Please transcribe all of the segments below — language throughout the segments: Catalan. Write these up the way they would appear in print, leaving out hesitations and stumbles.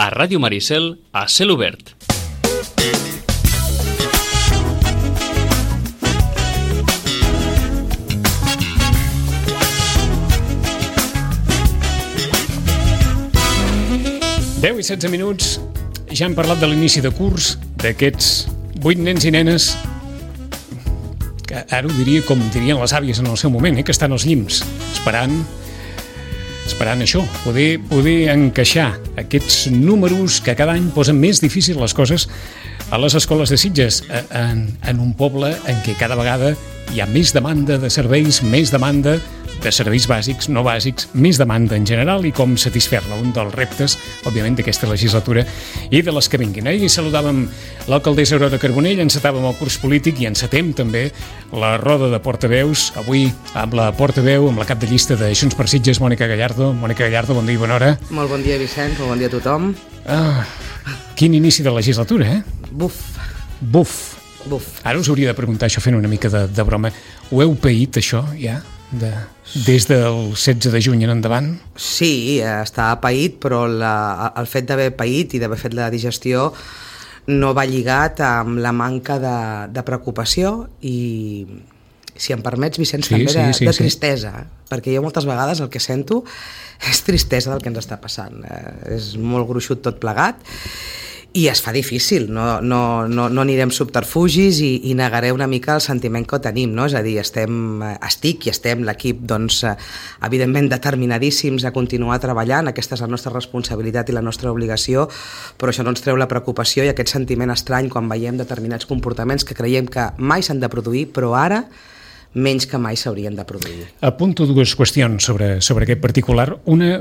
a Ràdio Maricel, a Cel Obert. Deu i 16 minuts, ja hem parlat de l'inici de curs, d'aquests 8 nens i nenes, que ara ho diria com dirien les àvies en el seu moment, que estan als llims, esperant això, poder encaixar aquests números que cada any posen més difícil les coses a les escoles de Sitges, en un poble en què cada vegada hi ha més demanda de serveis, més demanda de serveis bàsics, no bàsics, més demanda en general i com satisfer-la, un dels reptes, òbviament, d'aquesta legislatura i de les que vinguin. Ahir saludàvem l'alcaldessa Aurora Carbonell, encetàvem el curs polític i encetem també la roda de portaveus, avui amb la portaveu, amb la cap de llista de Junts per Sitges, Mònica Gallardo. Mònica Gallardo, bon dia i bona hora. Molt bon dia, Vicenç, molt bon dia a tothom. Quin inici de legislatura, eh? Buf. Ara us hauria de preguntar això fent una mica de broma. Ho heu paït, això, ja? Des del 16 de juny en endavant? Sí, està paït, però el fet d'haver paït i d'haver fet la digestió no va lligat amb la manca de preocupació i, si em permets, Vicenç, també de tristesa, perquè jo moltes vegades el que sento és tristesa del que ens està passant. És molt gruixut tot plegat i es fa difícil, no anirem subterfugis i negaré una mica el sentiment que tenim, no? És a dir, estem l'equip, doncs, evidentment determinadíssims a continuar treballant, aquesta és la nostra responsabilitat i la nostra obligació, però això no ens treu la preocupació i aquest sentiment estrany quan veiem determinats comportaments que creiem que mai s'han de produir, però ara menys que mai s'haurien de produir. Apunto dues qüestions sobre aquest particular. Una,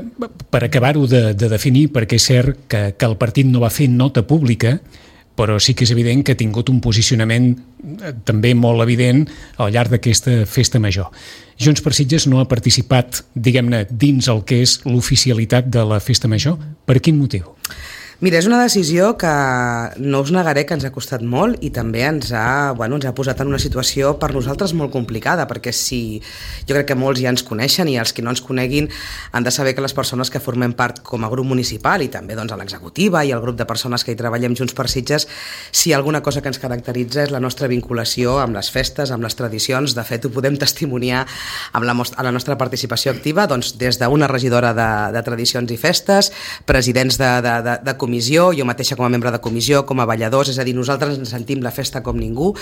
per acabar-ho de definir, perquè és cert que el partit no va fer nota pública, però sí que és evident que ha tingut un posicionament també molt evident al llarg d'aquesta festa major. Junts per Sitges no ha participat, diguem-ne, dins el que és l'oficialitat de la festa major. Per quin motiu? Mira, és una decisió que no us negaré que ens ha costat molt i també ens ha posat en una situació per nosaltres molt complicada, perquè jo crec que molts ja ens coneixen i els que no ens coneguin han de saber que les persones que formem part com a grup municipal i també doncs, a l'executiva i el grup de persones que hi treballem Junts per Sitges, si alguna cosa que ens caracteritza és la nostra vinculació amb les festes, amb les tradicions. De fet, ho podem testimoniar amb la nostra participació activa, doncs, des d'una regidora de tradicions i festes, presidents de comissió, jo mateixa com a membre de comissió, com a balladors, és a dir, nosaltres ens sentim la festa com ningú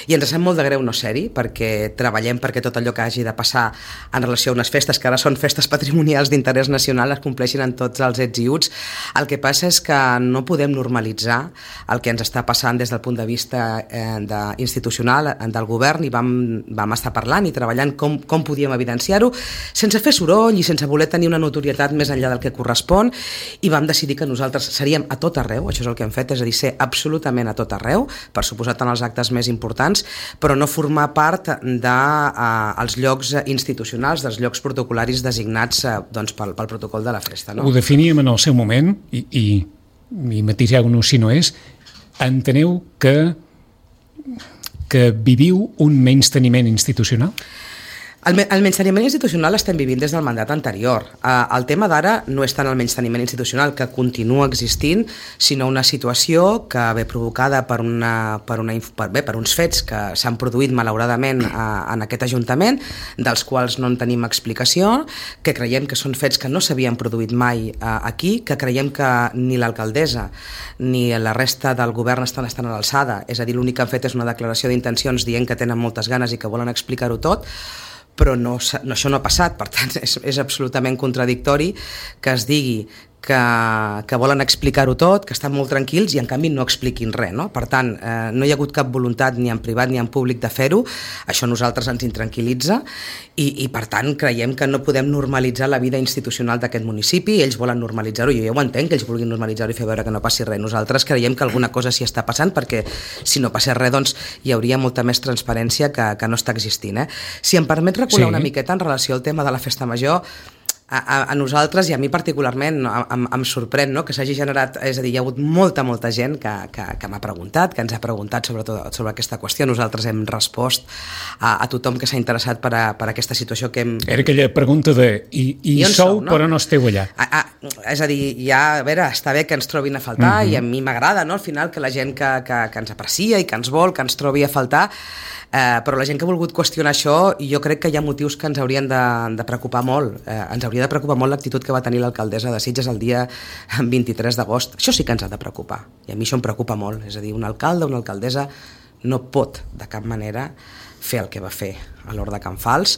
i ens sap molt de greu no ser-hi, perquè treballem perquè tot allò que hagi de passar en relació a unes festes, que ara són festes patrimonials d'interès nacional, es compleixin en tots els ets i uts. El que passa és que no podem normalitzar el que ens està passant des del punt de vista institucional del govern i vam estar parlant i treballant com podíem evidenciar-ho, sense fer soroll i sense voler tenir una notorietat més enllà del que correspon, i vam decidir que nosaltres seríem a tot arreu, això és el que hem fet, és a dir, ser absolutament a tot arreu, per suposat en els actes més importants, però no formar part dels llocs institucionals, dels llocs protocolaris designats pel protocol de la festa. No? Ho definíem en el seu moment, i matiseu-nos si no és, enteneu que viviu un menysteniment institucional? El menysteniment institucional l'estem vivint des del mandat anterior. El tema d'ara no és tant el menysteniment institucional, que continua existint, sinó una situació que ve provocada per uns fets que s'han produït malauradament en aquest Ajuntament, dels quals no en tenim explicació, que creiem que són fets que no s'havien produït mai aquí, que creiem que ni l'alcaldessa ni la resta del govern estan a l'alçada, és a dir, l'únic que han fet és una declaració d'intencions dient que tenen moltes ganes i que volen explicar-ho tot, però això no ha passat. Per tant, és absolutament contradictori que es digui que volen explicar-ho tot, que estan molt tranquils i en canvi no expliquin res, no? Per tant, no hi ha hagut cap voluntat ni en privat ni en públic de fer-ho, això a nosaltres ens intranquil·litza i per tant creiem que no podem normalitzar la vida institucional d'aquest municipi, ells volen normalitzar-ho, jo ja ho entenc que ells vulguin normalitzar-ho i fer veure que no passi res, nosaltres creiem que alguna cosa s'hi està passant perquè si no passés res doncs hi hauria molta més transparència que no està existint. Si em permet recular una miqueta en relació al tema de la festa major, a nosaltres i a mi particularment em sorprèn, no?, que s'hagi generat, és a dir, hi ha hagut molta gent que m'ha preguntat, que ens ha preguntat sobre aquesta qüestió. Nosaltres hem respost a tothom que s'ha interessat per aquesta situació que hem... Era aquella pregunta de i sou, no? Però no esteu allà. És a dir, ja, a veure, està bé que ens trobin a faltar i a mi m'agrada, no?, al final, que la gent que ens aprecia i que ens vol, que ens trobi a faltar, però la gent que ha volgut qüestionar això, jo crec que hi ha motius que ens haurien de preocupar molt. Ens hauria de preocupar molt l'actitud que va tenir l'alcaldessa de Sitges el dia 23 d'agost. Això sí que ens ha de preocupar, i a mi això em preocupa molt. És a dir, un alcalde, una alcaldessa no pot de cap manera fer el que va fer a l'Hort de Can Fals.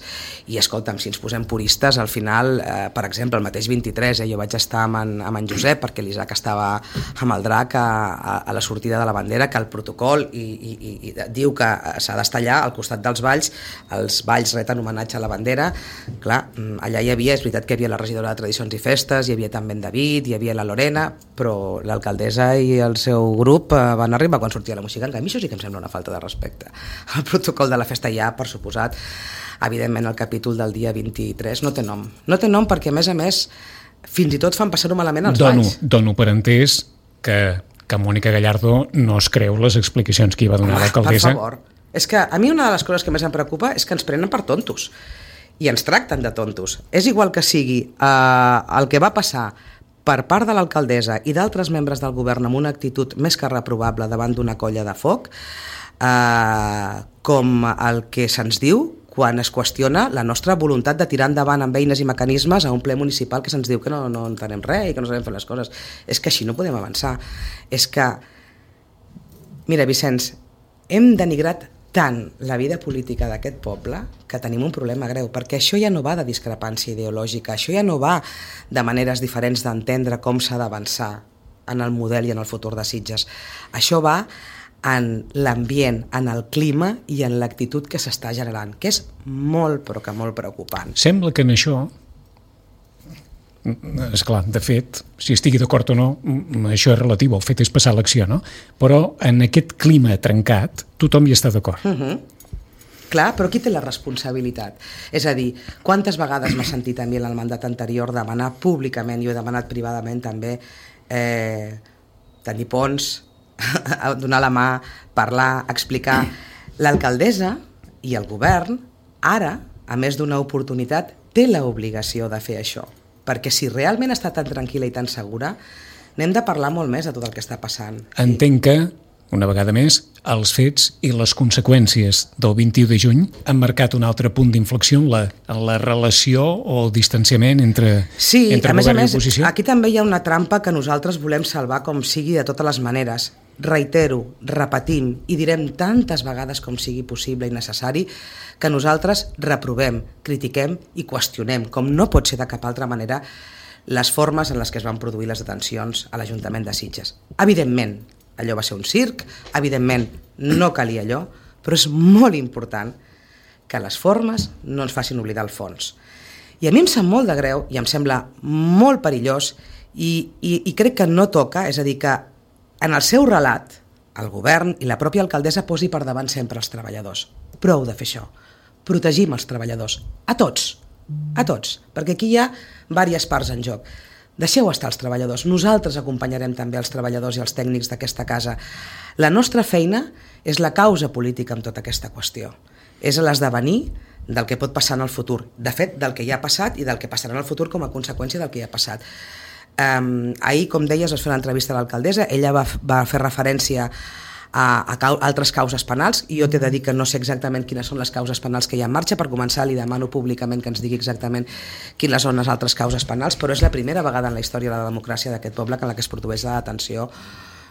I escolta'm, si ens posem puristes, al final, per exemple, el mateix 23, jo vaig estar amb en Josep, perquè l'Isaac estava amb el drac a la sortida de la bandera, que el protocol i diu que s'ha d'estar allà al costat dels balls. Els balls reten homenatge a la bandera. Clar, allà hi havia, és veritat que hi havia la regidora de Tradicions i Festes, hi havia també en David, hi havia la Lorena, però l'alcaldessa i el seu grup van arribar quan sortia la música. En canvi, això sí que em sembla una falta de respecte. El protocol de la festa ja, per suposat, evidentment el capítol del dia 23 no té nom. No té nom perquè, a més, fins i tot fan passar-ho malament als balls. Dono per entès que Mònica Gallardo no es creu les explicacions que hi va donar l'alcaldessa. Per favor. És que a mi una de les coses que més em preocupa és que ens prenen per tontos. I ens tracten de tontos. És igual que sigui el que va passar per part de l'alcaldessa i d'altres membres del govern amb una actitud més que reprovable davant d'una colla de foc, com el que se'ns diu quan es qüestiona la nostra voluntat de tirar endavant amb eines i mecanismes a un ple municipal que se'ns diu que no entenem res i que no sabem fer les coses. És que així no podem avançar. És que, mira, Vicenç, hem denigrat tant la vida política d'aquest poble que tenim un problema greu, perquè això ja no va de discrepància ideològica, això ja no va de maneres diferents d'entendre com s'ha d'avançar en el model i en el futur de Sitges. Això va en l'ambient, en el clima i en l'actitud que s'està generant, que és molt, però que molt preocupant. Sembla que en això, esclar, de fet, si estigui d'acord o no, això és relatiu, el fet és passar l'acció, no? Però en aquest clima trencat, tothom hi està d'acord. Clar, però qui té la responsabilitat? És a dir, quantes vegades m'ha sentit a mi en el mandat anterior demanar públicament, jo he demanat privadament també, tenir ponts, donar la mà, parlar, explicar. L'alcaldessa i el govern, ara, a més d'una oportunitat, té l'obligació de fer això. Perquè si realment està tan tranquil·la i tan segura, n'hem de parlar molt més de tot el que està passant. Entenc que, una vegada més, els fets i les conseqüències del 21 de juny han marcat un altre punt d'inflexió en la relació o el distanciament entre govern i oposició. Aquí també hi ha una trampa que nosaltres volem salvar com sigui de totes les maneres. Reitero, repetim i direm tantes vegades com sigui possible i necessari que nosaltres reprovem, critiquem i qüestionem, com no pot ser de cap altra manera, les formes en les que es van produir les detencions a l'Ajuntament de Sitges. Evidentment, allò va ser un circ, evidentment no calia allò, però és molt important que les formes no ens facin oblidar el fons. I a mi em sap molt de greu i em sembla molt perillós i crec que no toca, és a dir, que en el seu relat, el govern i la pròpia alcaldessa posi per davant sempre els treballadors. Prou de fer això. Protegim els treballadors. A tots, perquè aquí hi ha diverses parts en joc. Deixeu estar els treballadors. Nosaltres acompanyarem també els treballadors i els tècnics d'aquesta casa. La nostra feina és la causa política amb tota aquesta qüestió. És l'esdevenir del que pot passar en el futur. De fet, del que ja ha passat i del que passarà en el futur com a conseqüència del que ja ha passat. Ahir, com deies, vas fer una entrevista a l'alcaldessa, ella va fer referència a altres causes penals i jo t'he de dir que no sé exactament quines són les causes penals que hi ha en marxa. Per començar, li demano públicament que ens digui exactament quines són les altres causes penals, però és la primera vegada en la història de la democràcia d'aquest poble en la que es produeix la detenció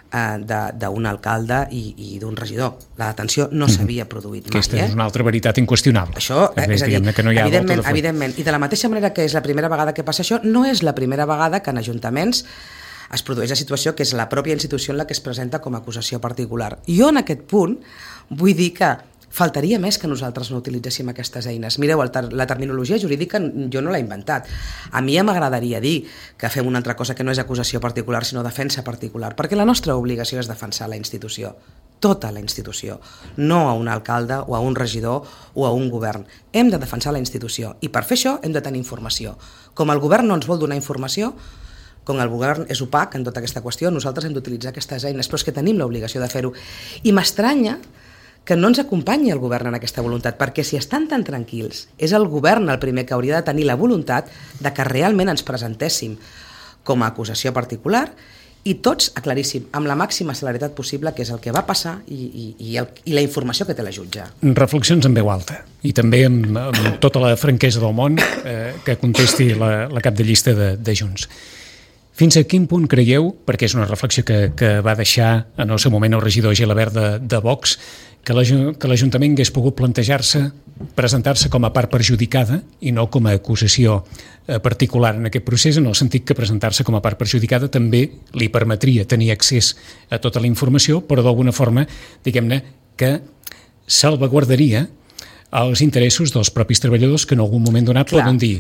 d'un alcalde i d'un regidor. La detenció no s'havia produït mai. Aquesta és una altra veritat inqüestionable. Això, és a dir, evidentment, i de la mateixa manera que és la primera vegada que passa això, no és la primera vegada que en ajuntaments es produeix la situació que és la pròpia institució en la que es presenta com a acusació particular. Jo en aquest punt vull dir que Faltaria més que nosaltres no utilitzéssim aquestes eines. Mireu, la terminologia jurídica jo no l'he inventat. A mi ja m'agradaria dir que fem una altra cosa que no és acusació particular, sinó defensa particular, perquè la nostra obligació és defensar la institució, tota la institució, no a un alcalde o a un regidor o a un govern. Hem de defensar la institució i per fer això hem de tenir informació. Com el govern no ens vol donar informació, com el govern és opac en tota aquesta qüestió, nosaltres hem d'utilitzar aquestes eines, però és que tenim l'obligació de fer-ho. I m'estranya que no ens acompanyi el govern en aquesta voluntat, perquè si estan tan tranquils, és el govern el primer que hauria de tenir la voluntat de que realment ens presentéssim com a acusació particular i tots aclaríssim, amb la màxima celeritat possible, què és el que va passar i la informació que té la jutge. Reflexions en veu alta i també amb tota la franquesa del món que contesti la cap de llista de Junts. Fins a quin punt creieu, perquè és una reflexió que va deixar en el seu moment el regidor Gelabert de Vox, que l'Ajuntament hagués pogut presentar-se com a part perjudicada i no com a acusació particular en aquest procés, en el sentit que presentar-se com a part perjudicada també li permetria tenir accés a tota la informació, però d'alguna forma, diguem-ne, que salvaguardaria els interessos dels propis treballadors que en algun moment donat poden dir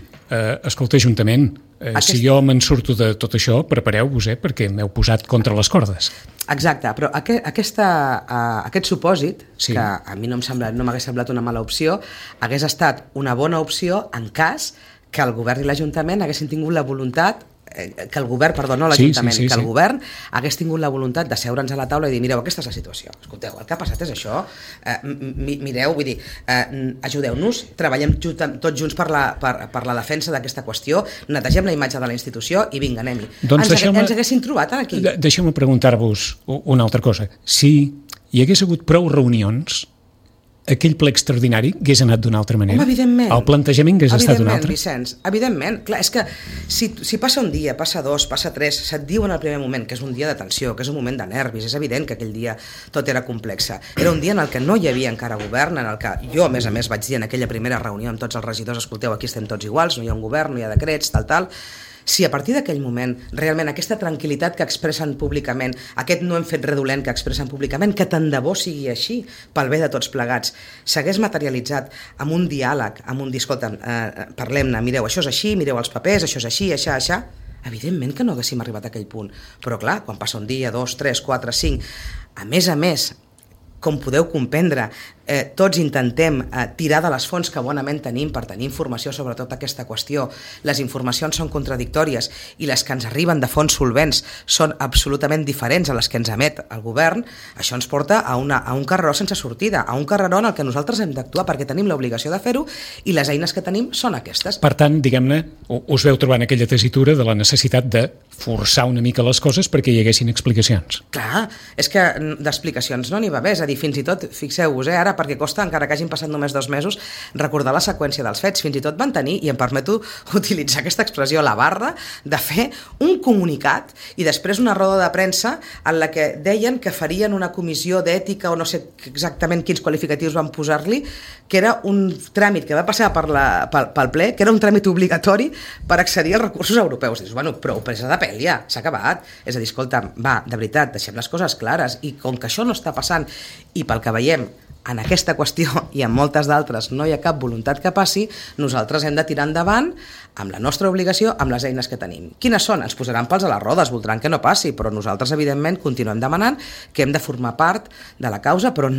escolta, Ajuntament, si jo me'n surto de tot això, prepareu-vos, perquè m'heu posat contra les cordes. Exacte, però aquest supòsit, sí, que a mi no m'hagués semblat una mala opció, hagués estat una bona opció en cas que el govern i l'Ajuntament haguessin tingut la voluntat que el govern, perdó, no l'Ajuntament, que el govern hagués tingut la voluntat de seure'ns a la taula i dir, mireu, aquesta és la situació, escolteu, el que ha passat és això, mireu, vull dir, ajudeu-nos, treballem tots junts per la defensa d'aquesta qüestió, netegem la imatge de la institució i vinga, anem-hi. Doncs ens haguessin trobat aquí. Deixeu-me preguntar-vos una altra cosa. Si hi hagués hagut prou reunions, aquell ple extraordinari hagués anat d'una altra manera? Home, evidentment. El plantejament hagués estat d'un altre? Vicenç, evidentment. Clar, és que si passa un dia, passa dos, passa tres, se't diu en el primer moment que és un dia de tensió, que és un moment de nervis, és evident que aquell dia tot era complex. Era un dia en el que no hi havia encara govern, en el que jo, a més, vaig dir en aquella primera reunió amb tots els regidors, escolteu, aquí estem tots iguals, no hi ha un govern, no hi ha decrets, tal. Si a partir d'aquell moment realment aquesta tranquil·litat que expressen públicament, aquest no hem fet res dolent que expressen públicament, que tant de bo sigui així pel bé de tots plegats, s'hagués materialitzat amb un diàleg, amb un dir, escolta, parlem-ne, mireu, això és així, mireu els papers, això és així, això, evidentment que no haguéssim arribat a aquell punt. Però clar, quan passa un dia, 2, 3, 4, 5, a més, com podeu comprendre, tots intentem tirar de les fonts que bonament tenim per tenir informació sobre tota aquesta qüestió. Les informacions són contradictòries i les que ens arriben de fonts solvents són absolutament diferents a les que ens emet el govern. Això ens porta a un carreró sense sortida, a un carreró en el que nosaltres hem d'actuar perquè tenim l'obligació de fer-ho i les eines que tenim són aquestes. Per tant, diguem-ne, us veu trobant aquella tessitura de la necessitat de forçar una mica les coses perquè hi haguessin explicacions. Clar, és que d'explicacions no n'hi va bé, és a dir, fins i tot, fixeu-vos, ara perquè costa, encara que hagin passat només 2 mesos, recordar la seqüència dels fets. Fins i tot van tenir, i em permeto utilitzar aquesta expressió, la barra de fer un comunicat i després una roda de premsa en la que deien que farien una comissió d'ètica o no sé exactament quins qualificatius van posar-li, que era un tràmit que va passar pel ple, que era un tràmit obligatori per accedir als recursos europeus. Dius, bueno, prou presa de pèl ja, s'ha acabat. És a dir, escolta, va, de veritat, deixem les coses clares, i com que això no està passant i pel que veiem en aquesta qüestió i en moltes d'altres no hi ha cap voluntat que passi, nosaltres hem de tirar endavant amb la nostra obligació, amb les eines que tenim. Quines són? Ens posaran pals a les rodes, voldran que no passi, però nosaltres, evidentment, continuem demanant que hem de formar part de la causa, però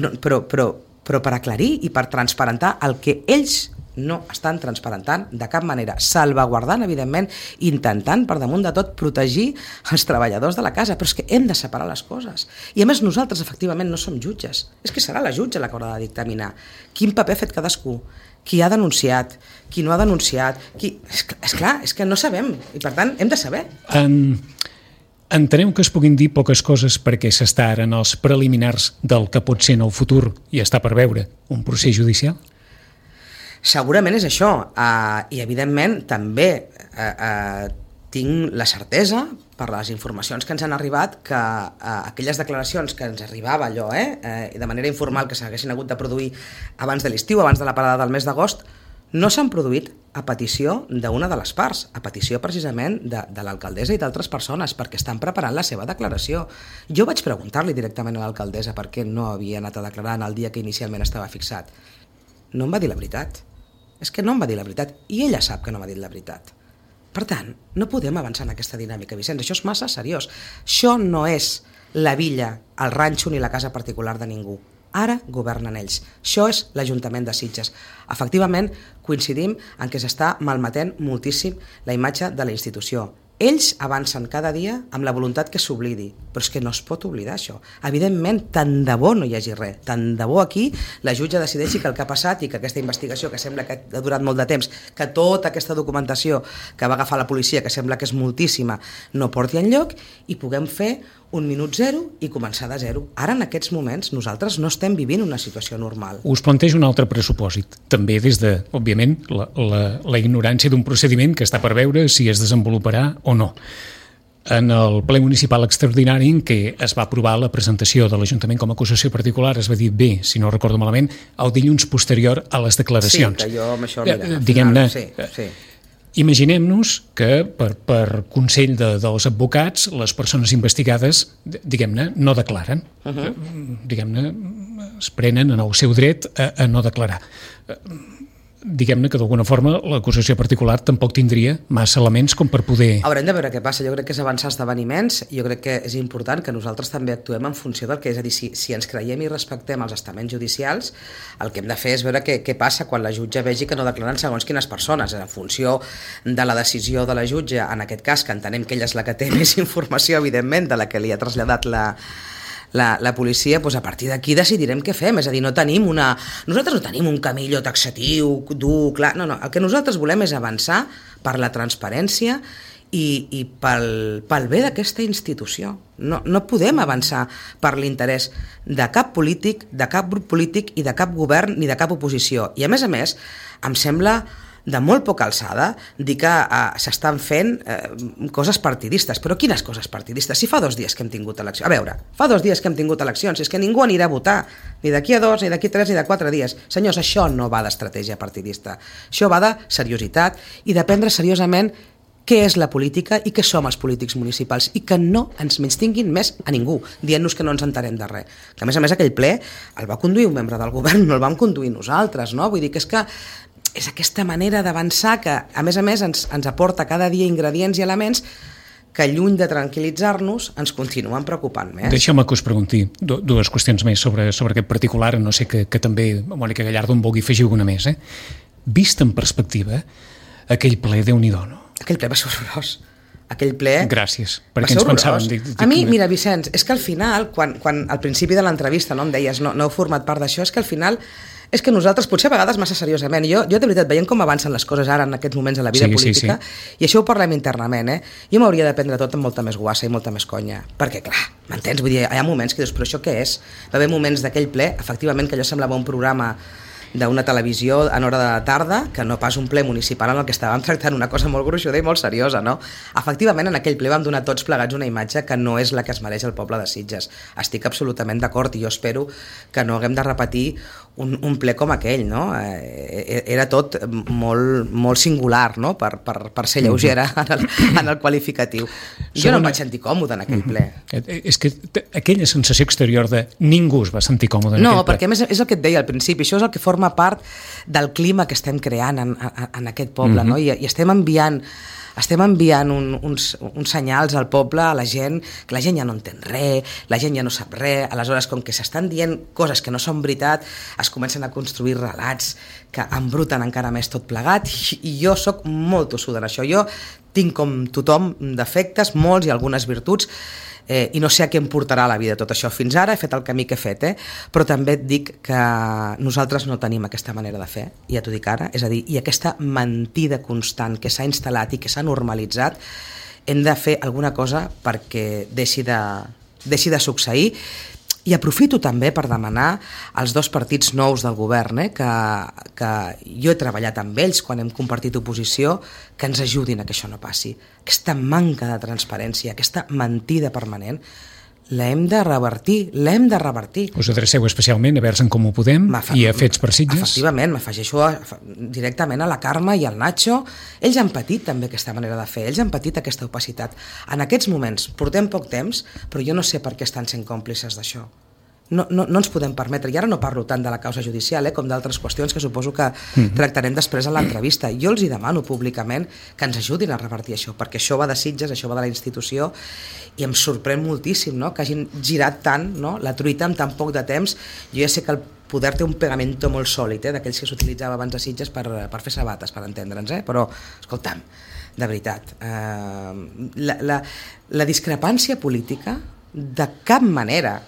per aclarir i per transparentar el que ells no estan transparentant de cap manera, salvaguardant, evidentment, intentant, per damunt de tot, protegir els treballadors de la casa, però és que hem de separar les coses. I a més nosaltres, efectivament, no som jutges. És que serà la jutge la que haurà de dictaminar quin paper ha fet cadascú, qui ha denunciat, qui no ha denunciat, És clar, és que no sabem, i per tant hem de saber. Entenem que es puguin dir poques coses perquè s'està ara en els preliminars del que pot ser en el futur i està per veure un procés judicial? Segurament és això, i evidentment també tinc la certesa per les informacions que ens han arribat que aquelles declaracions que ens arribava de manera informal que s'haguessin hagut de produir abans de l'estiu, abans de la parada del mes d'agost, no s'han produït a petició d'una de les parts, a petició precisament de l'alcaldessa i d'altres persones, perquè estan preparant la seva declaració. Jo vaig preguntar-li directament a l'alcaldessa per què no havia anat a declarar en el dia que inicialment estava fixat. No em va dir la veritat. És que no em va dir la veritat, i ella sap que no m'ha dit la veritat. Per tant, no podem avançar en aquesta dinàmica, Vicenç, això és massa seriós. Això no és la villa, el ranxo ni la casa particular de ningú. Ara governen ells. Això és l'Ajuntament de Sitges. Efectivament, coincidim en que s'està malmetent moltíssim la imatge de la institució. Ells avancen cada dia amb la voluntat que s'oblidi, però és que no es pot oblidar això. Evidentment, tant de bo no hi hagi res, tant de bo aquí la jutge decideixi que el que ha passat i que aquesta investigació, que sembla que ha durat molt de temps, que tota aquesta documentació que va agafar la policia, que sembla que és moltíssima, no porti enlloc i puguem fer un minut zero i començar de zero. Ara, en aquests moments, nosaltres no estem vivint una situació normal. Us plantejo un altre pressupòsit, també des de, òbviament, la ignorància d'un procediment que està per veure si es desenvoluparà o no. En el ple municipal extraordinari en què es va aprovar la presentació de l'Ajuntament com a acusació particular, es va dir bé, si no recordo malament, el dilluns posterior a les declaracions. Sí, que jo amb això... Diguem-ne, sí. Imaginem-nos que per consell dels advocats les persones investigades, diguem-ne, no declaren. Diguem-ne, es prenen en el seu dret a no declarar. Diguem-ne que d'alguna forma l'acusació particular tampoc tindria massa elements com per poder... Haurem de veure què passa. Jo crec que és avançar esdeveniments. Jo crec que és important que nosaltres també actuem en funció del que és. A dir, si ens creiem i respectem els estaments judicials, el que hem de fer és veure què passa quan la jutge vegi que no declaren segons quines persones. En funció de la decisió de la jutge, en aquest cas, que entenem que ella és la que té més informació, evidentment, de la que li ha traslladat la policia, doncs a partir d'aquí decidirem què fem, és a dir, nosaltres no tenim un camillo taxatiu, dur, clar, no, el que nosaltres volem és avançar per la transparència i pel bé d'aquesta institució. No podem avançar per l'interès de cap polític, de cap grup polític i de cap govern ni de cap oposició. I a més, em sembla de molt poca alçada dir que s'estan fent coses partidistes. Però quines coses partidistes? Si fa 2 dies que hem tingut eleccions. A veure, fa 2 dies que hem tingut eleccions, és que ningú anirà a votar, ni d'aquí a 2, ni d'aquí a 3, ni de 4 dies. Senyors, això no va d'estratègia partidista. Això va de seriositat i de prendre seriosament què és la política i què som els polítics municipals i que no ens menystinguin més a ningú, dient-nos que no ens entenem de res. Que a més aquell ple el va conduir un membre del govern, no el vam conduir nosaltres, no? Vull dir que és aquesta manera d'avançar que, a més, ens aporta cada dia ingredients i elements que, lluny de tranquil·litzar-nos, ens continuen preocupant més. Deixeu-me que us pregunti 2 qüestions més sobre aquest particular, no sé que també Mònica Gallardo en vulgui afegir alguna més. Vist en perspectiva, aquell ple, Déu-n'hi-do, no? Aquell ple va ser horrorós. Aquell ple... Gràcies, perquè ens pensàvem... A mi, mira, Vicenç, és que al final, quan al principi de l'entrevista em deies no heu format part d'això, és que al final... És que nosaltres, potser a vegades massa seriosament, jo de veritat, veient com avancen les coses ara en aquests moments de la vida política, i això ho parlem internament, jo m'hauria de prendre tot amb molta més guassa i molta més conya, perquè clar, m'entens? Vull dir, hi ha moments que dius, però això què és? Va haver moments d'aquell ple, efectivament, que allò semblava un programa d'una televisió en hora de la tarda, que no pas un ple municipal en el que estàvem tractant una cosa molt gruixuda i molt seriosa, no? Efectivament, en aquell ple vam donar tots plegats una imatge que no és la que es mereix el poble de Sitges. Estic absolutament d'acord i jo espero que no haguem de repetir un ple com aquell, no? Era tot molt singular, no? Per ser lleugera en el qualificatiu. Jo no em vaig sentir còmode en aquell ple. És que aquella sensació exterior de ningú es va sentir còmode en aquell ple. No, perquè a més és el que et deia al principi, això és el que forma part del clima que estem creant en aquest poble, no? I estem enviant uns senyals al poble, a la gent, que la gent ja no entén res, la gent ja no sap res, aleshores com que s'estan dient coses que no són veritat, es comencen a construir relats que embruten encara més tot plegat i jo sóc molt tossuda en això. Jo tinc com tothom defectes, molts i algunes virtuts, i no sé a què em portarà la vida tot això. Fins ara he fet el camí que he fet, però també et dic que nosaltres no tenim aquesta manera de fer, ja t'ho dic ara, és a dir, i aquesta mentida constant que s'ha instal·lat i que s'ha normalitzat, hem de fer alguna cosa perquè deixi de succeir. I aprofito també per demanar als 2 partits nous del govern, que jo he treballat amb ells quan hem compartit oposició, que ens ajudin a que això no passi. Aquesta manca de transparència, aquesta mentida permanent, l'hem de revertir. Us adreceu especialment a Verds en Comú Podem i a Fets per Sitges? Efectivament, m'afegeixo directament a la Carme i al Nacho. Ells han patit també aquesta manera de fer, ells han patit aquesta opacitat. En aquests moments portem poc temps, però jo no sé per què estan sent còmplices d'això. No ens podem permetre, i ara no parlo tant de la causa judicial com d'altres qüestions que suposo que tractarem després a l'entrevista. Jo els hi demano públicament que ens ajudin a revertir això, perquè això va de Sitges, això va de la institució, i em sorprèn moltíssim, no?, que hagin girat tant, no?, la truita en tan poc de temps. Jo ja sé que el poder té un pegamento molt sòlid, d'aquells que s'utilitzava abans de Sitges per fer sabates, per entendre'ns, però, escolta'm, de veritat, la discrepància política de cap manera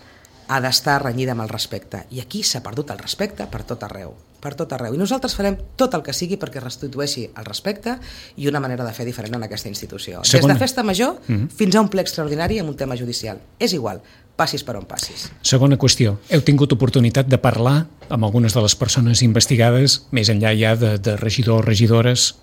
ha d'estar renyida amb el respecte. I aquí s'ha perdut el respecte per tot arreu. I nosaltres farem tot el que sigui perquè restitueixi el respecte i una manera de fer diferent en aquesta institució. Des de festa major fins a un ple extraordinari amb un tema judicial. És igual, passis per on passis. Segona qüestió. Heu tingut oportunitat de parlar amb algunes de les persones investigades, més enllà ja de regidors o regidores,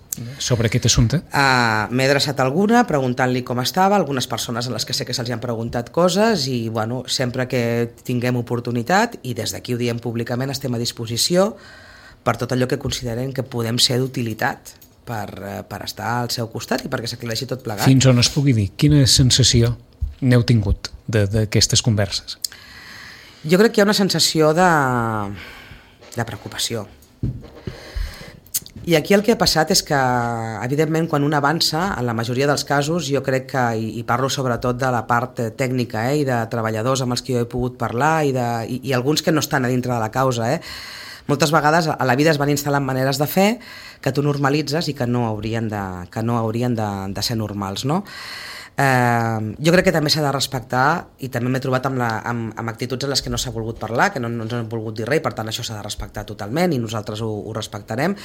sobre aquest assumpte? M'he adreçat a alguna preguntant-li com estava, algunes persones a les que sé que se'ls han preguntat coses i bueno, sempre que tinguem oportunitat, i des d'aquí ho diem públicament, estem a disposició per tot allò que consideren que podem ser d'utilitat per estar al seu costat i perquè s'aclareixi tot plegat. Fins on es pugui dir, quina sensació n'heu tingut d'aquestes converses? Jo crec que hi ha una sensació de preocupació. I aquí el que ha passat és que, evidentment, quan un avança, en la majoria dels casos, jo crec que, i parlo sobretot de la part tècnica i de treballadors amb els que jo he pogut parlar i alguns que no estan a dintre de la causa, moltes vegades a la vida es van instal·lant maneres de fer que tu normalitzes i que no haurien de ser normals, no? Jo crec que també s'ha de respectar, i també m'he trobat amb actituds en les que no s'ha volgut parlar, que no ens han volgut dir res, i per tant això s'ha de respectar totalment i nosaltres ho respectarem,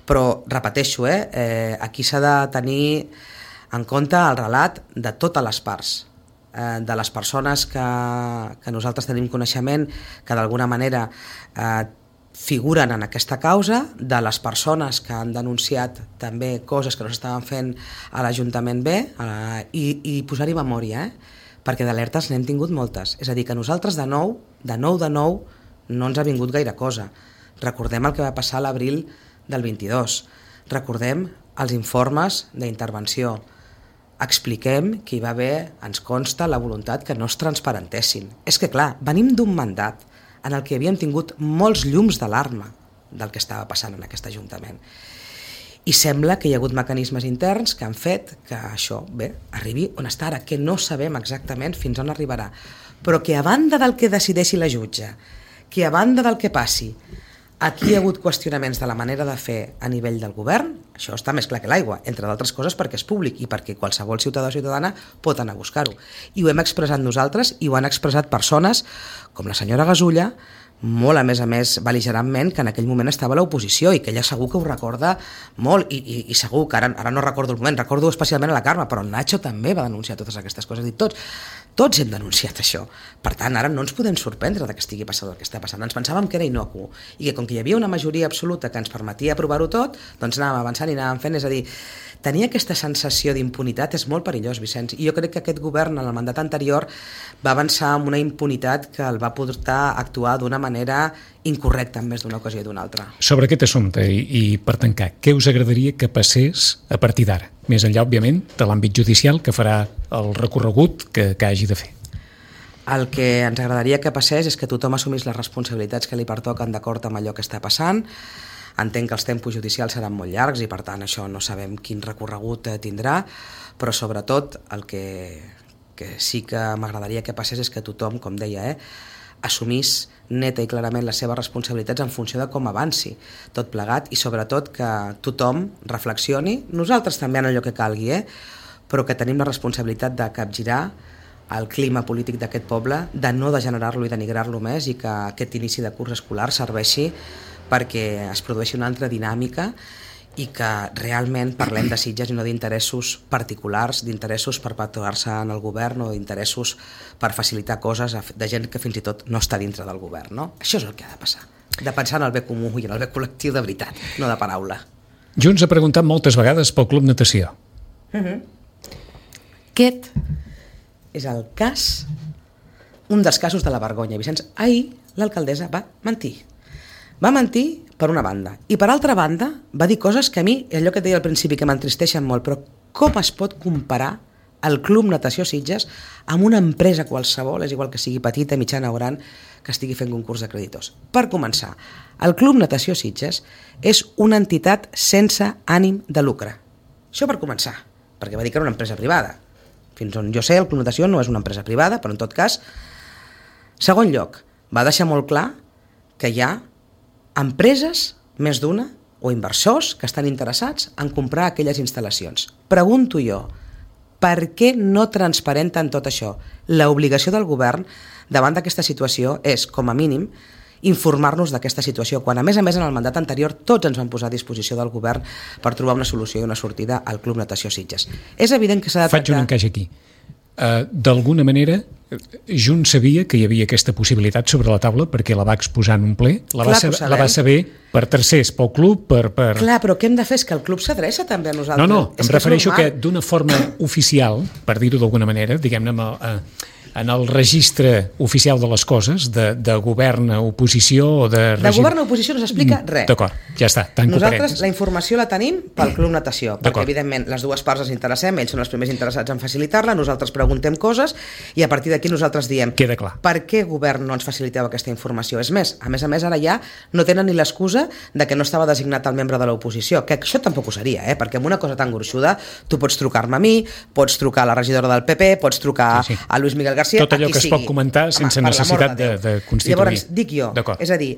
però repeteixo, aquí s'ha de tenir en compte el relat de totes les parts, de les persones que nosaltres tenim coneixement, que d'alguna manera figuren en aquesta causa, de les persones que han denunciat també coses que no s'estaven fent a l'Ajuntament B, i posar-hi memòria, perquè d'alertes n'hem tingut moltes. És a dir, que nosaltres de nou no ens ha vingut gaire cosa. Recordem el que va passar a l'abril del 22, recordem els informes d'intervenció, expliquem que hi va haver, ens consta, la voluntat que no es transparentessin. És que clar, venim d'un mandat en el que havíem tingut molts llums d'alarma del que estava passant en aquest Ajuntament. I sembla que hi ha hagut mecanismes interns que han fet que això, arribi on està ara, que no sabem exactament fins on arribarà, però que a banda del que decideixi la jutge, que a banda del que passi, aquí hi ha hagut qüestionaments de la manera de fer a nivell del govern, això està més clar que l'aigua, entre d'altres coses perquè és públic i perquè qualsevol ciutadà o ciutadana pot anar a buscar-ho. I ho hem expressat nosaltres i ho han expressat persones com la senyora Gasulla, molt a més bel·ligerantment, que en aquell moment estava a l'oposició i que ella segur que ho recorda molt i segur que ara no recordo el moment, recordo especialment a la Carme, però el Nacho també va denunciar totes aquestes coses i tots hem denunciat això. Per tant, ara no ens podem sorprendre que estigui passant el que està passant. Ens pensàvem que era innocu i que com que hi havia una majoria absoluta que ens permetia aprovar-ho tot, doncs anàvem avançant i anàvem fent. És a dir, tenir aquesta sensació d'impunitat és molt perillós, Vicenç, i jo crec que aquest govern en el mandat anterior va avançar amb una impunitat que el va portar a actuar d'una manera incorrecta en més d'una ocasió i d'una altra. Sobre aquest assumpte i per tancar, què us agradaria que passés a partir d'ara? Més enllà, òbviament, de l'àmbit judicial que farà el recorregut que hagi de fer. El que ens agradaria que passés és que tothom assumís les responsabilitats que li pertoquen d'acord amb allò que està passant. Entenc que els tempos judicials seran molt llargs i per tant això no sabem quin recorregut tindrà, però sobretot el que sí que m'agradaria que passés és que tothom, com deia, assumís neta i clarament les seves responsabilitats en funció de com avanci tot plegat i sobretot que tothom reflexioni, nosaltres també en allò que calgui, però que tenim la responsabilitat de capgirar el clima polític d'aquest poble, de no degenerar-lo i denigrar-lo més i que aquest inici de curs escolar serveixi perquè es produeixi una altra dinàmica i que realment parlem de Sitges i no d'interessos particulars, d'interessos per perpetuar-se en el govern o d'interessos per facilitar coses de gent que fins i tot no està dintre del govern. No? Això és el que ha de passar, de pensar en el bé comú i en el bé col·lectiu de veritat, no de paraula. Junts ha preguntat moltes vegades pel Club Natació. Aquest és el cas un dels casos de la vergonya, Vicenç. Ahir l'alcaldessa va mentir. Va mentir per una banda. I per altra banda va dir coses que a mi, allò que et deia al principi, que m'entristeixen molt, però com es pot comparar el Club Natació Sitges amb una empresa qualsevol, és igual que sigui petita, mitjana o gran, que estigui fent concurs de creditors? Per començar, el Club Natació Sitges és una entitat sense ànim de lucre. Això per començar, perquè va dir que era una empresa privada. Fins on jo sé, el Club Natació no és una empresa privada, però en tot cas, segon lloc, va deixar molt clar que hi ha empreses, més d'una, o inversors que estan interessats en comprar aquelles instal·lacions. Pregunto jo, per què no transparenten tot això? L'obligació del govern davant d'aquesta situació és, com a mínim, informar-nos d'aquesta situació, quan a més en el mandat anterior tots ens van posar a disposició del govern per trobar una solució i una sortida al Club Natació Sitges. És evident que s'ha de tractar... Faig un encaix aquí. D'alguna manera, Junts sabia que hi havia aquesta possibilitat sobre la taula perquè la va exposar en un ple, la va saber per tercers, pel club, per... Clar, però què hem de fer? És que el club s'adreça també a nosaltres. No, em refereixo que d'una forma oficial, per dir-ho d'alguna manera, diguem-ne, en el registre oficial de les coses, de govern a oposició o de... De govern a oposició no s'explica res. D'acord, ja està, tanco nosaltres parèntesis. la informació la tenim pel Club Natació, perquè evidentment les dues parts ens interessem, ells són els primers interessats en facilitar-la, nosaltres preguntem coses i a partir d'aquí nosaltres diem queda clar. Per què govern no ens faciliteu aquesta informació? És més, a més ara ja no tenen ni l'excusa de que no estava designat el membre de l'oposició, que això tampoc ho seria, perquè amb una cosa tan gruixuda tu pots trucar-me a mi, pots trucar a la regidora del PP, pots trucar a Luis Miguel García, tot allò que es pot comentar sense necessitat de constituir. Llavors, dic jo, és a dir,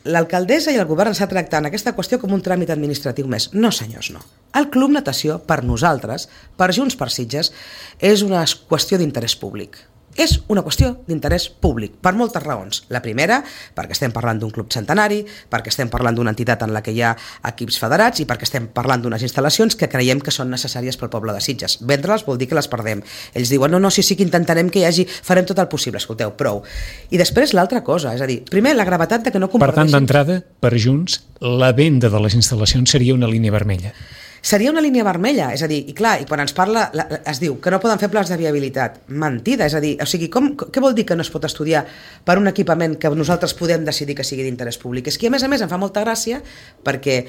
l'alcaldessa i el govern s'ha tractat aquesta qüestió com un tràmit administratiu més. No, senyors, no. El Club Natació, per nosaltres, per Junts per Sitges, és una qüestió d'interès públic. És una qüestió d'interès públic, per moltes raons. La primera, perquè estem parlant d'un club centenari, perquè estem parlant d'una entitat en la que hi ha equips federats i perquè estem parlant d'unes instal·lacions que creiem que són necessàries pel poble de Sitges. Vendre-les vol dir que les perdem. Ells diuen, no, sí que intentarem que hi hagi, farem tot el possible, escolteu, prou. I després l'altra cosa, és a dir, primer, la gravetat de que no comparteixin... Per tant, d'entrada, per Junts, la venda de les instal·lacions seria una línia vermella. Seria una línia vermella, és a dir, i clar, i quan ens parla, es diu que no poden fer plans de viabilitat. Mentida, és a dir, o sigui, què vol dir que no es pot estudiar per un equipament que nosaltres podem decidir que sigui d'interès públic? És que a més em fa molta gràcia perquè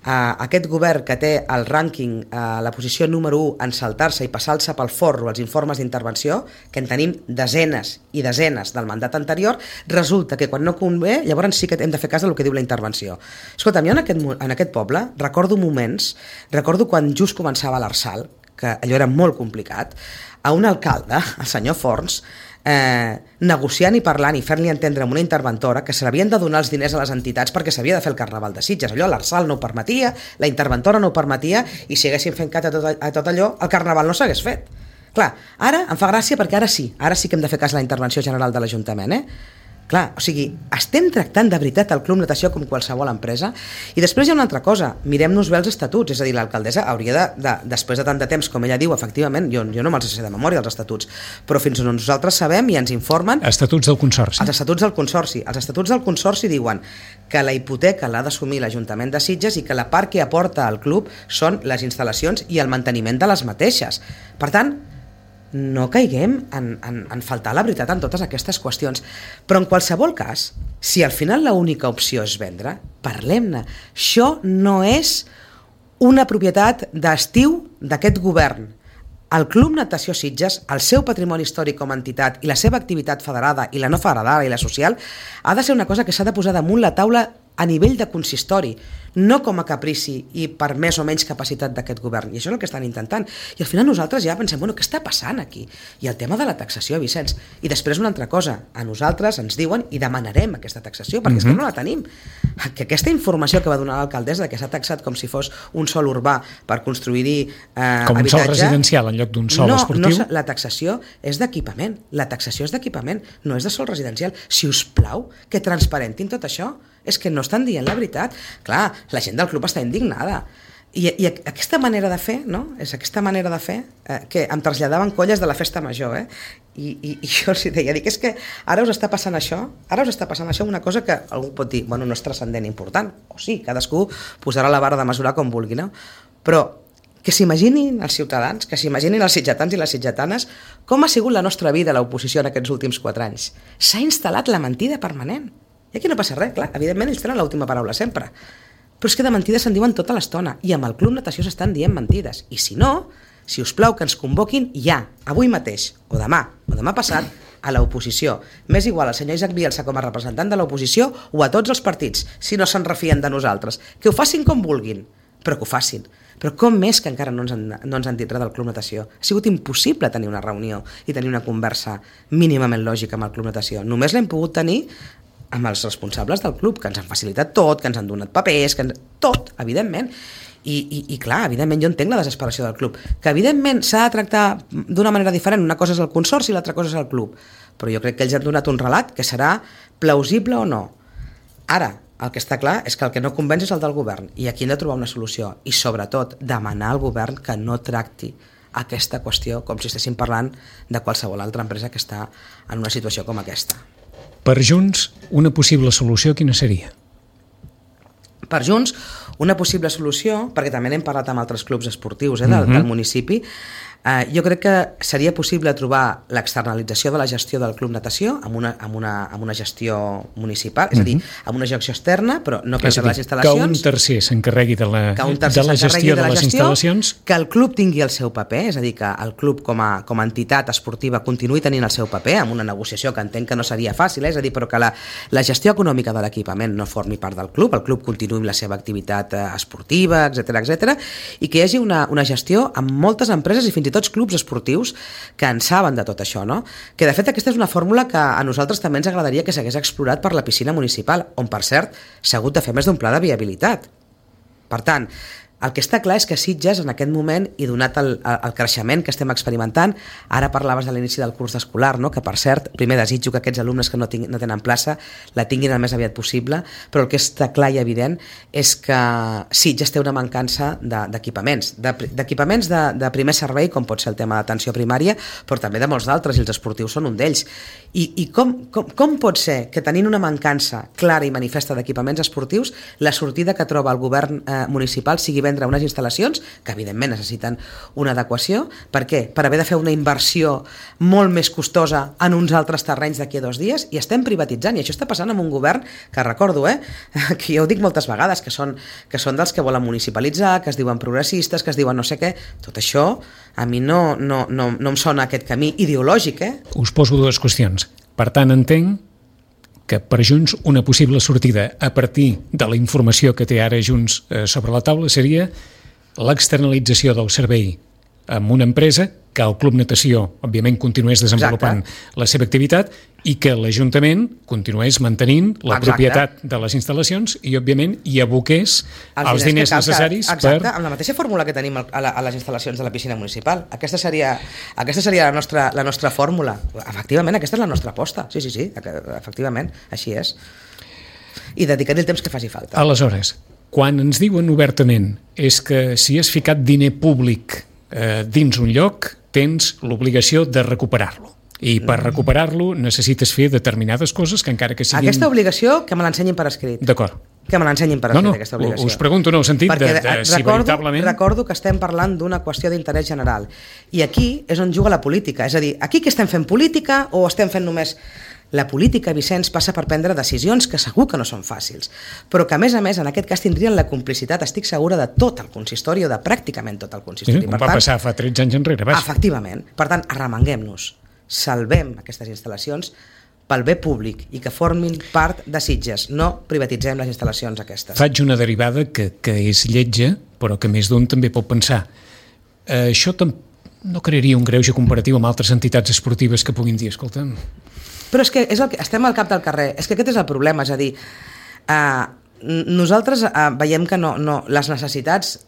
aquest govern que té el rànquing, la posició número 1 en saltar-se i passar-se pel forro els informes d'intervenció, que en tenim desenes i desenes del mandat anterior, resulta que quan no convé, llavors sí que hem de fer cas del que diu la intervenció. Escolta, jo en aquest poble recordo moments, recordo quan just començava l'Arsal, que allò era molt complicat, a un alcalde, el senyor Forns, negociant i parlant i fent-li entendre amb una interventora que se l'havien de donar els diners a les entitats perquè s'havia de fer el Carnaval de Sitges. Allò l'Arsal no ho permetia, la interventora no ho permetia i si haguessin fet cas a tot allò, el Carnaval no s'hagués fet. Clar, ara em fa gràcia perquè ara sí que hem de fer cas a la intervenció general de l'Ajuntament, Clar, o sigui, estem tractant de veritat el Club Natació com qualsevol empresa i després hi ha una altra cosa, mirem-nos bé els estatuts, és a dir, l'alcaldessa hauria després de tant de temps, com ella diu, efectivament, jo no me'ls sé de memòria els estatuts, però fins on nosaltres sabem i ens informen... Estatuts del Consorci. Els estatuts del Consorci. Els estatuts del Consorci diuen que la hipoteca l'ha d'assumir l'Ajuntament de Sitges i que la part que aporta al club són les instal·lacions i el manteniment de les mateixes. Per tant, no caiguem en faltar la veritat en totes aquestes qüestions. Però en qualsevol cas, si al final l'única opció és vendre, parlem-ne. Això no és una propietat d'estiu d'aquest govern. El Club Natació Sitges, el seu patrimoni històric com a entitat i la seva activitat federada i la no federada i la social ha de ser una cosa que s'ha de posar damunt la taula a nivell de consistori, no com a caprici i per més o menys capacitat d'aquest govern. I això és el que estan intentant. I al final nosaltres ja pensem, què està passant aquí? I el tema de la taxació, Vicenç. I després una altra cosa, a nosaltres ens diuen i demanarem aquesta taxació, perquè és que no la tenim. Que aquesta informació que va donar l'alcaldessa que s'ha taxat com si fos un sòl urbà per construir-hi habitatge... Com un sòl residencial en lloc d'un sòl esportiu? No, la taxació és d'equipament. La taxació és d'equipament, no és de sòl residencial. Si us plau, que transparentin tot això. És que no estan dient la veritat. Clar, la gent del club està indignada. I aquesta manera de fer, no? És aquesta manera de fer que em traslladaven colles de la festa major, I jo els deia, és que ara us està passant això, una cosa que algú pot dir, no és transcendent important, o sí, cadascú posarà la vara de mesurar com vulgui, no? Però Que s'imaginin els ciutadans, que s'imaginin els sitgetans i les sitgetanes com ha sigut la nostra vida a l'oposició en aquests últims 4 anys. S'ha instal·lat la mentida permanent. I aquí no passa res, clar, evidentment ells tenen l'última paraula sempre. Però és que de mentides se'n diuen tota l'estona i amb el Club Natació s'estan dient mentides. I si no, si us plau que ens convoquin ja, avui mateix, o demà passat, a l'oposició. M'és igual al senyor Isaac Bielsa com a representant de l'oposició o a tots els partits, si no se'n refien de nosaltres. Que ho facin com vulguin, però que ho facin. Però com més que encara no ens han dit res del Club Natació? Ha sigut impossible tenir una reunió i tenir una conversa mínimament lògica amb el Club Natació. Només l'hem pogut tenir amb els responsables del club, que ens han facilitat tot, que ens han donat papers, tot, evidentment. I clar, evidentment jo entenc la desesperació del club, que evidentment s'ha de tractar d'una manera diferent, una cosa és el consorci i l'altra cosa és el club, però jo crec que ells han donat un relat que serà plausible o no. Ara, el que està clar és que el que no convenç és el del govern, i aquí hem de trobar una solució, i sobretot demanar al govern que no tracti aquesta qüestió com si estéssim parlant de qualsevol altra empresa que està en una situació com aquesta. Per Junts, una possible solució quina seria? Per Junts, una possible solució, perquè també n'hem parlat amb altres clubs esportius del municipi, jo crec que seria possible trobar l'externalització de la gestió del Club Natació amb una gestió municipal, és a dir, amb una gestió externa, però no per les instal·lacions. Que un tercer s'encarregui de la gestió de les instal·lacions. Que el club tingui el seu paper, és a dir, que el club com a entitat esportiva continuï tenint el seu paper, amb una negociació que entenc que no seria fàcil, és a dir, però que la gestió econòmica de l'equipament no formi part del club, el club continuï amb la seva activitat esportiva, etc, i que hi hagi una gestió amb moltes empreses i fins i tot clubs esportius que en saben de tot això, no? Que de fet aquesta és una fórmula que a nosaltres també ens agradaria que s'hagués explorat per la piscina municipal, on per cert s'ha hagut de fer més d'un pla de viabilitat. Per tant, el que està clar és que Sitges en aquest moment, i donat el creixement que estem experimentant, ara parlaves de l'inici del curs escolar, no? Que per cert, primer desitjo que aquests alumnes que no tenen plaça la tinguin el més aviat possible, però el que està clar i evident és que Sitges té una mancança d'equipaments, d'equipaments de primer servei, com pot ser el tema d'atenció primària, però també de molts d'altres, i els esportius són un d'ells. I com pot ser que tenint una mancança clara i manifesta d'equipaments esportius, la sortida que troba el govern municipal sigui vendre unes instal·lacions que evidentment necessiten una adequació? Per què? Per haver de fer una inversió molt més costosa en uns altres terrenys d'aquí a 2 dies, i estem privatitzant, i això està passant amb un govern que recordo, que jo ho dic moltes vegades, que són dels que volen municipalitzar, que es diuen progressistes, que es diuen no sé què. Tot això a mi no em sona aquest camí ideològic. Us poso 2 qüestions. Per tant, entenc que per Junts una possible sortida a partir de la informació que té ara Junts sobre la taula seria l'externalització del servei amb una empresa, que el Club Natació, òbviament, continués desenvolupant la seva activitat i que l'Ajuntament continués mantenint la propietat de les instal·lacions i, òbviament, hi aboqués els diners necessaris per... Exacte, amb la mateixa fórmula que tenim a les instal·lacions de la piscina municipal. Aquesta seria la nostra fórmula. Efectivament, aquesta és la nostra aposta. Sí, efectivament, així és. I dedicar-hi el temps que faci falta. Aleshores, quan ens diuen obertament és que si has ficat diner públic dins un lloc, tens l'obligació de recuperar-lo. I per recuperar-lo necessites fer determinades coses que encara que siguin... Aquesta obligació que me l'ensenyin per escrit. D'acord. Que me l'ensenyin per escrit, aquesta obligació. Us pregunto en el sentit de si veritablement... Recordo que estem parlant d'una qüestió d'interès general. I aquí és on juga la política. És a dir, aquí que estem fent política o estem fent només... La política, Vicenç, passa per prendre decisions que segur que no són fàcils, però que, a més, en aquest cas tindrien la complicitat, estic segura, de tot el consistori o de pràcticament tot el consistori. Sí, va passar fa 13 anys enrere. Efectivament. Per tant, arremanguem-nos, salvem aquestes instal·lacions pel bé públic i que formin part de Sitges. No privatitzem les instal·lacions aquestes. Faig una derivada que és lletja, però que més d'un també pot pensar. Això no crearia un greuge comparatiu amb altres entitats esportives que puguin dir, escolta'm... Però és que estem al cap del carrer, és que aquest és el problema, és a dir, nosaltres veiem que les necessitats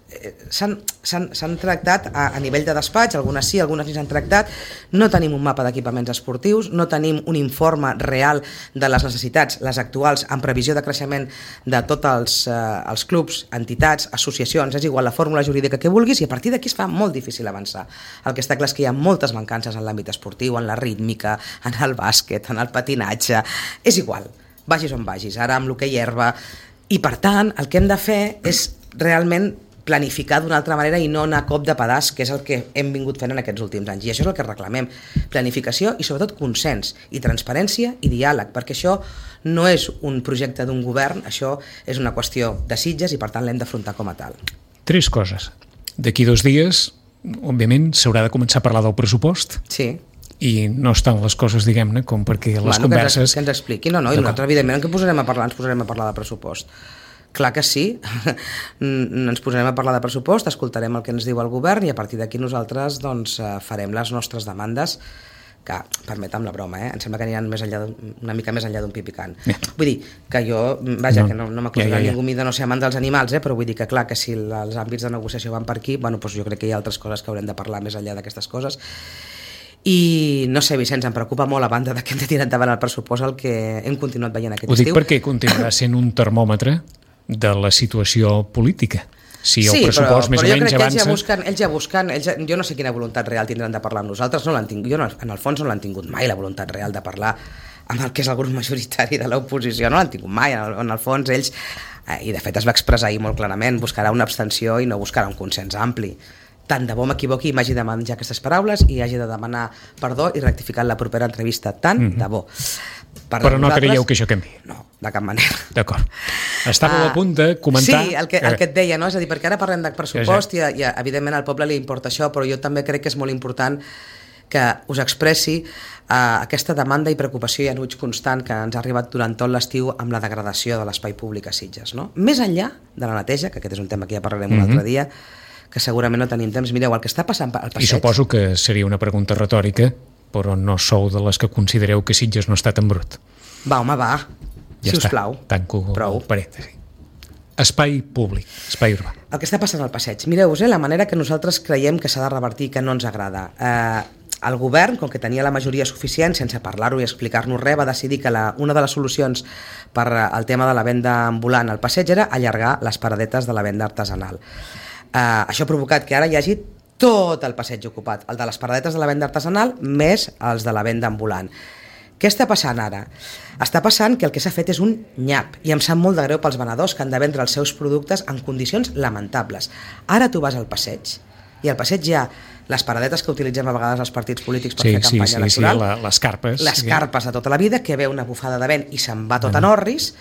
s'han tractat a nivell de despatx, algunes sí, algunes ni s'han tractat, no tenim un mapa d'equipaments esportius, no tenim un informe real de les necessitats, les actuals, en previsió de creixement de tots els clubs, entitats, associacions, és igual la fórmula jurídica que vulguis, i a partir d'aquí es fa molt difícil avançar. El que està clar és que hi ha moltes mancances en l'àmbit esportiu, en la rítmica, en el bàsquet, en el patinatge, és igual, vagis on vagis, ara amb l'hoquei herba, i per tant el que hem de fer és realment planificar d'una altra manera i no anar a cop de pedaç, que és el que hem vingut fent en aquests últims anys. I això és el que reclamem. Planificació i sobretot consens i transparència i diàleg, perquè això no és un projecte d'un govern, això és una qüestió de Sitges i per tant l'hem d'afrontar com a tal. 3 coses. D'aquí 2 dies, òbviament, s'haurà de començar a parlar del pressupost. Sí. I no estan les coses, diguem-ne, com perquè les converses... Que ens expliqui. No, i nosaltres, evidentment, ens posarem a parlar de pressupost. Clar que sí, ens posarem a parlar de pressupost, escoltarem el que ens diu el govern i a partir d'aquí nosaltres doncs, farem les nostres demandes que, permetem la broma, em sembla que aniran una mica més enllà d'un pi picant. Vull dir que jo, vaja, que no m'acusarà ningú de no ser amant dels animals, però vull dir que clar, que si els àmbits de negociació van per aquí, bueno, doncs jo crec que hi ha altres coses que haurem de parlar més enllà d'aquestes coses. I no sé, Vicenç, em preocupa molt a banda que hem de tirar endavant el pressupost el que hem continuat veient aquest estiu. Ho dic perquè continuarà sent un termòmetre de la situació política. Si el pressupost més o menys avança... Ells ja busquen, jo no sé quina voluntat real tindran de parlar amb nosaltres, en el fons no l'han tingut mai, la voluntat real de parlar amb el que és el grup majoritari de l'oposició, no l'han tingut mai, en el fons ells, i de fet es va expressar ahir molt clarament, buscarà una abstenció i no buscarà un consens ampli. Tant de bo m'equivoqui i m'hagi de menjar aquestes paraules i hagi de demanar perdó i rectificar en la propera entrevista, tant de bo. Però no creieu que això canvi? No, de cap manera. D'acord. Estava a punt de comentar... Sí, el que et deia, no? És a dir, perquè ara parlem de pressupost i evidentment al poble li importa això, però jo també crec que és molt important que us expressi aquesta demanda i preocupació i enuig constant que ens ha arribat durant tot l'estiu amb la degradació de l'espai públic a Sitges, no? Més enllà de la neteja, que aquest és un tema que ja parlarem un altre dia, que segurament no tenim temps. Mireu, el que està passant al passeig... I suposo que seria una pregunta retòrica, però no sou de les que considereu que Sitges no està tan brut. Va, home, va. Ja si us plau. Tanco el parèntesi. Espai públic, espai urbà. El que està passant al passeig. Mireu-vos, la manera que nosaltres creiem que s'ha de revertir, que no ens agrada. El govern, com que tenia la majoria suficient, sense parlar-ho i explicar-nos res, va decidir que una de les solucions per al tema de la venda ambulant al passeig era allargar les paradetes de la venda artesanal. Això ha provocat que ara hi hagi tot el passeig ocupat, el de les paradetes de la venda artesanal més els de la venda ambulant. Què està passant ara? Està passant que el que s'ha fet és un nyap i em sap molt de greu pels venedors que han de vendre els seus productes en condicions lamentables. Ara tu vas al passeig i al passeig hi ha les paradetes que utilitzem a vegades els partits polítics per fer campanya electoral, les carpes. Les carpes de tota la vida, que ve una bufada de vent i se'n va tot en orris.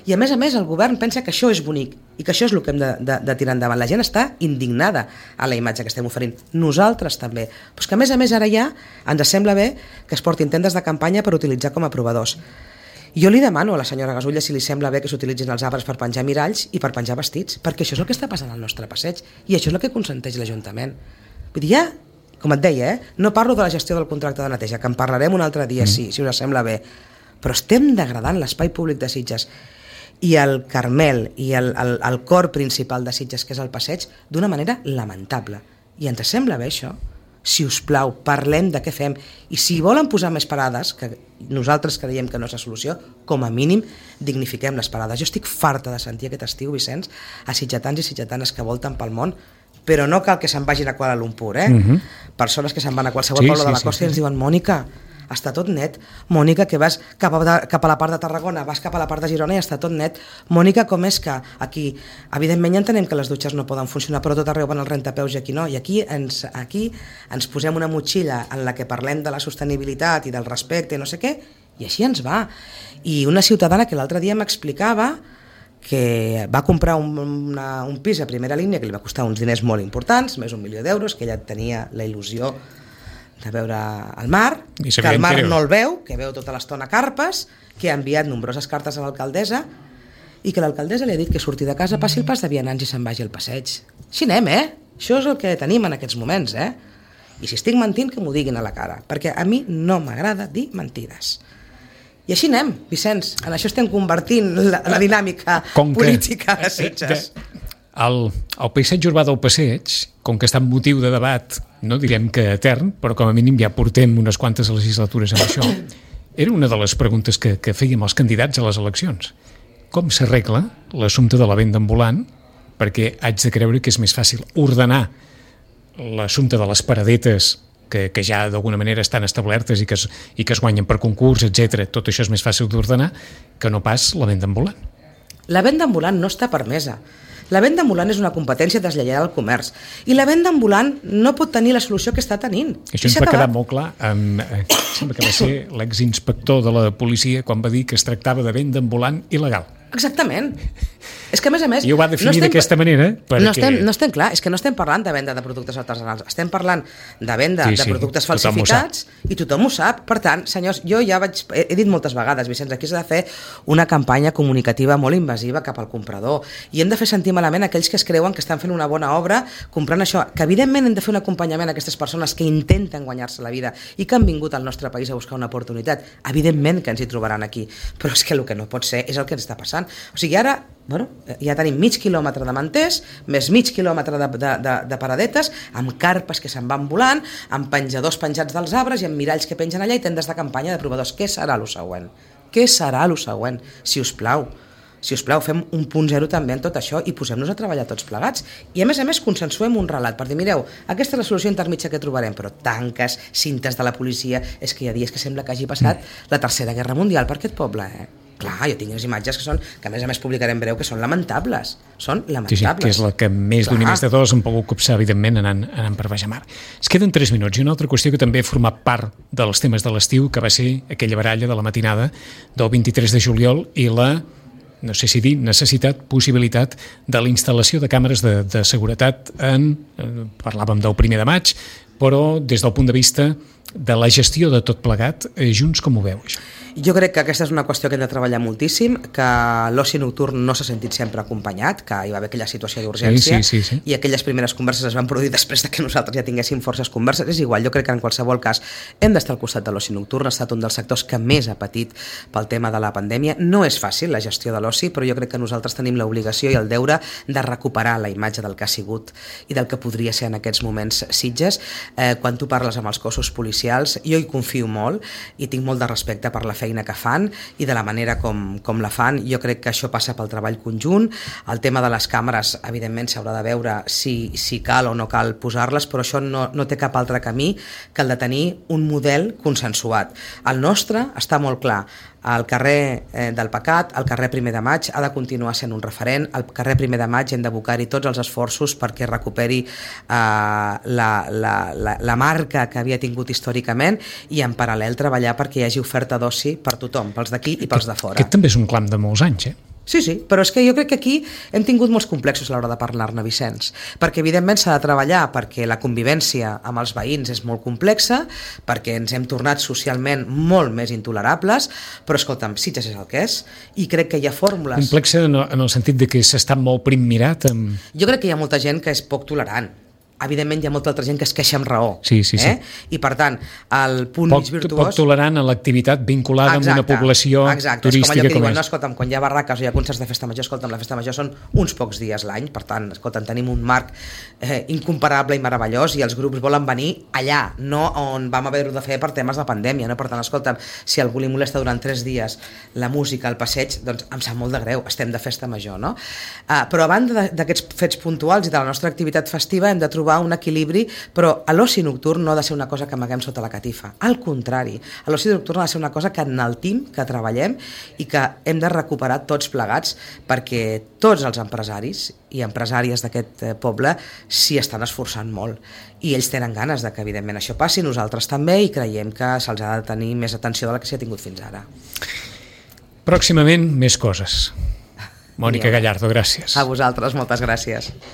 I a més el govern pensa que això és bonic i que això és el que hem de tirar endavant. La gent està indignada a la imatge que estem oferint. Nosaltres també. Però és que a més ara ja ens sembla bé que es portin tendes de campanya per utilitzar com a provadors. Jo li demano a la senyora Gasulla si li sembla bé que s'utilitzin els arbres per penjar miralls i per penjar vestits, perquè això és el que està passant al nostre passeig i això és el que consenteix l'Ajuntament. Vull dir, ja, com et deia, no parlo de la gestió del contracte de neteja, que en parlarem un altre dia, si us sembla bé, però estem degradant l'espai públic de Sitges i el Carmel i el cor principal de Sitges, que és el passeig, d'una manera lamentable. I ens sembla bé això? Si us plau, parlem de què fem. I si volen posar més parades, que nosaltres creiem que no és la solució, com a mínim dignifiquem les parades. Jo estic farta de sentir aquest estiu, Vicenç, a sitgetans i sitgetanes que volten pel món, però no cal que se'n vagin a Kuala Lumpur, Persones que se'n van a qualsevol poble de la costa i ens diuen, Mònica, està tot net. Mònica, que vas cap a la part de Tarragona, vas cap a la part de Girona i està tot net. Mònica, com és que aquí, evidentment ja entenem que les dutxes no poden funcionar, però tot arreu van els rentapeus i aquí no. I aquí ens posem una motxilla en la que parlem de la sostenibilitat i del respecte i no sé què, i així ens va. I una ciutadana que l'altre dia m'explicava que va comprar un pis a primera línia que li va costar uns diners molt importants, més d'1 milió d'euros, que ella tenia la il·lusió de veure el mar, que el mar no el veu, que veu tota l'estona carpes, que ha enviat nombroses cartes a l'alcaldessa i que l'alcaldessa li ha dit que surti de casa, passi el pas de vianants i se'n vagi al passeig. Així anem, Això és el que tenim en aquests moments, I si estic mentint, que m'ho diguin a la cara, perquè a mi no m'agrada dir mentides. I així anem, Vicenç, en això estem convertint la dinàmica política de Sitges. El paisatge urbà del passeig, com que està en motiu de debat, no direm que etern, però com a mínim ja portem unes quantes legislatures amb això, era una de les preguntes que fèiem als candidats a les eleccions. Com s'arregla l'assumpte de la venda ambulant? Perquè haig de creure que és més fàcil ordenar l'assumpte de les paradetes que ja d'alguna manera estan establertes i que es guanyen per concurs, etc. Tot això és més fàcil d'ordenar que no pas la venda ambulant. La venda ambulant no està permesa. La venda ambulant és una competència deslleial al comerç i la venda ambulant no pot tenir la solució que està tenint. Això ens va quedar molt clar. Sembla que va ser l'exinspector de la policia quan va dir que es tractava de venda ambulant il·legal. Exactament. És que, a més... I ho va definir d'aquesta manera. Perquè... No estem clar, és que no estem parlant de venda de productes artesanals, estem parlant de venda de productes falsificats i tothom ho sap. Per tant, senyors, jo ja he dit moltes vegades, Vicenç, aquí s'ha de fer una campanya comunicativa molt invasiva cap al comprador i hem de fer sentir malament aquells que es creuen que estan fent una bona obra comprant això, que evidentment hem de fer un acompanyament a aquestes persones que intenten guanyar-se la vida i que han vingut al nostre país a buscar una oportunitat. Evidentment que ens hi trobaran aquí, però és que el que no pot ser és el que ens està passant. O sigui, ara ja tenim mig quilòmetre de manters, més mig quilòmetre de paradetes, amb carpes que se'n van volant, amb penjadors penjats dels arbres i amb miralls que pengen allà i tendes de campanya de provadors. Què serà lo següent? Què serà lo següent? Si us plau, fem un punt zero també en tot això i posem-nos a treballar tots plegats. I a més, consensuem un relat per dir, mireu, aquesta és la solució intermitja que trobarem, però tanques, cintes de la policia, és que hi ha dies que sembla que hagi passat la Tercera Guerra Mundial per aquest poble, Clar, jo tinc les imatges que a més publicarem breu, que són lamentables. Són lamentables. Sí, que és la que més d'un i més de dos han pogut copsar, evidentment, anant per baix a mar. Es queden 3 minuts. I una altra qüestió que també ha format part dels temes de l'estiu, que va ser aquella baralla de la matinada del 23 de juliol i la, no sé si dir, necessitat, possibilitat de la instal·lació de càmeres de seguretat parlàvem del 1 de maig, però des del punt de vista de la gestió de tot plegat, Junts com ho veu, això? Jo crec que aquesta és una qüestió que hem de treballar moltíssim, que l'oci nocturn no s'ha sentit sempre acompanyat, que hi va haver aquella situació d'urgència sí. I aquelles primeres converses es van produir després de que nosaltres ja tinguéssim forces converses. És igual, jo crec que en qualsevol cas hem d'estar al costat de l'oci nocturn, ha estat un dels sectors que més ha patit pel tema de la pandèmia. No és fàcil la gestió de l'oci, però jo crec que nosaltres tenim l'obligació i el deure de recuperar la imatge del que ha sigut i del que podria ser en aquests moments Sitges. Quan tu parles amb els cossos policials, jo hi confio molt i tinc molt de respecte per la feina que fan i de la manera com la fan. Jo crec que això passa pel treball conjunt. El tema de les càmeres, evidentment, s'haurà de veure si cal o no cal posar-les, però això no té cap altre camí que el de tenir un model consensuat. El nostre està molt clar. El carrer del Pecat, el carrer 1 de maig, ha de continuar sent un referent. Al carrer 1 de maig hem d'abocar-hi tots els esforços perquè recuperi la marca que havia tingut històricament i en paral·lel treballar perquè hi hagi oferta d'oci per tothom, pels d'aquí i pels de fora. Aquest també és un clam de molts anys, Sí, però és que jo crec que aquí hem tingut molts complexos a l'hora de parlar-ne, Vicenç, perquè evidentment s'ha de treballar perquè la convivència amb els veïns és molt complexa, perquè ens hem tornat socialment molt més intolerables, però escolta'm, Sitges és el que és, i crec que hi ha fórmules... Complexa en el sentit de que s'està molt prim mirat amb... Jo crec que hi ha molta gent que és poc tolerant. Evidentment hi ha molta altra gent que es queixa amb raó. Sí. I per tant, el punt mig virtuós... Poc tolerant a l'activitat vinculada amb una població turística és com allò que diuen, és. no, escolta'm, quan hi ha barraques o hi ha concerts de festa major, escolta'm, la festa major són uns pocs dies l'any, per tant, escolta'm, tenim un marc incomparable i meravellós i els grups volen venir allà, no on vam haver-ho de fer per temes de pandèmia, no? Per tant, escolta'm, si algú li molesta durant 3 dies la música, el passeig, doncs em sap molt de greu, estem de festa major, no? Però a banda d'aquests fets puntuals i de la nostra activitat festiva hem de trobar un equilibri, però l'oci nocturn no ha de ser una cosa que amaguem sota la catifa. Al contrari, l'oci nocturn ha de ser una cosa que enaltim, que treballem i que hem de recuperar tots plegats perquè tots els empresaris i empresàries d'aquest poble s'hi estan esforçant molt i ells tenen ganes de que evidentment això passi, nosaltres també, i creiem que se'ls ha de tenir més atenció de la que s'hi ha tingut fins ara. Pròximament més coses. Mònica Gallardo, gràcies. A vosaltres, moltes gràcies.